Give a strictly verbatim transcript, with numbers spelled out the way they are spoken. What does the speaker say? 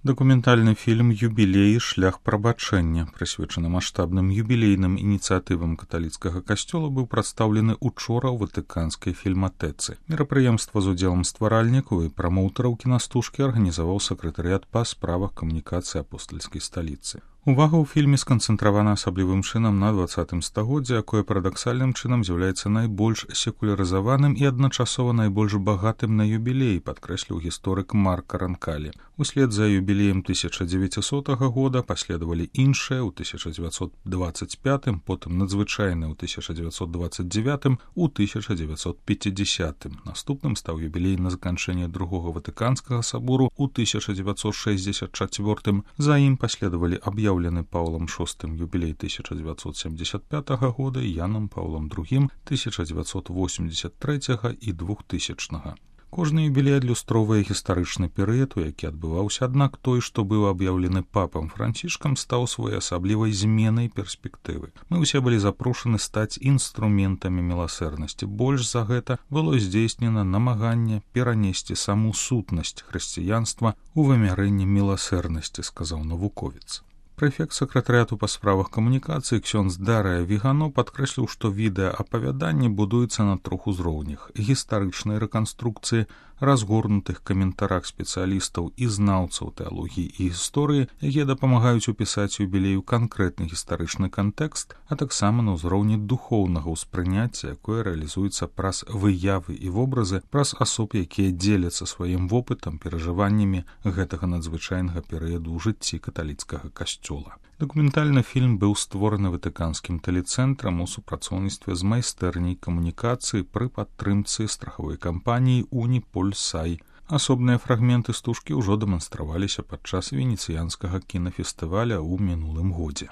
Дакументальны фільм «Юбілей. Шлях прабачэння», прысвечаны маштабным юбілейным ініцыятывам каталіцкага касцёла, быў прадстаўлены учора ў ватыканскай фільматэцы. Мерапрыемства з удзелам стваральнікаў і прамоўтараў кінастужкі арганізаваў сакратарыят па справах камунікацыі апостальскай сталіцы. Увага ў фільме сканцэнтравана асаблівым чынам на дваццатым стагоддзі, якое парадаксальным чынам з'яўляецца найбольш секулярызаваным і адначасова найбольш багатым на юбілей, падкрэсліў гісторык Марк Ранкалі. Услед за юбілеем тысяча дзевяцісотага года паследавалі іншыя ў тысяча дзевяцьсот дваццаць пятым, потым надзвычайны ў тысяча дзевяцьсот дваццаць дзевятым, у тысяча дзевяцьсот пяцідзясятым. Наступным стаў юбілей на заканчэнне другога ватыканскага сабору ў тысяча дзевяцьсот шэсцьдзесят чацвёртым. За ім паследавалі аб'яўлены Паўлам шостым юбілей тысяча дзевяцьсот семьдесят пятага года і Янам Паўлам другім тысяча дзевяцьсот восемьдесят трэцяга і двухтысячнага. Кожны юбілей адлюстроўвае гістарычны перыяд, у які адбываўся, аднак той, што быў аб'яўлены папам Францішкам, стаў своеасаблівай зменай перспектывы. Мы ўсе былі запрошаны стаць інструментамі міласэрнасці. Больш за гэта было здзейснена намаганне перанесці саму сутнасць хрысціянства ў вымярэнне міласэрнасці, сказаў навуковец. Прэфект сакратарыяту па справах камунікацыі ксёндз Дарыя Вігано падкрэсліў, што відэаапавяданне будуецца на трох узроўнях: гістарычнай рэканструкцыі, разгорнутых каментарах спецыялістаў і знаўцаў тэалогіі і гісторыі, якія дапамагаюць упісаць юбілею канкрэтны гістарычны кантэкст, а таксама на ўзроўні духоўнага ўспрыняцця, якое рэалізуецца праз выявы і вобразы, праз асоб, якія дзеляцца сваім вопытам, перажываннямі гэтага надзвычайнага перыяду ў жыцці каталіцкага касцёла. Дакументальны фільм быў створаны ватыканскім тэлецэнтрам у супрацоўніцтве з майстэрняй камунікацыі пры падтрымцы страхавой кампаніі «Уніпольсай». Асобныя фрагменты стужкі ўжо дэманстраваліся падчас венецыянскага кінафестываля ў мінулым годзе.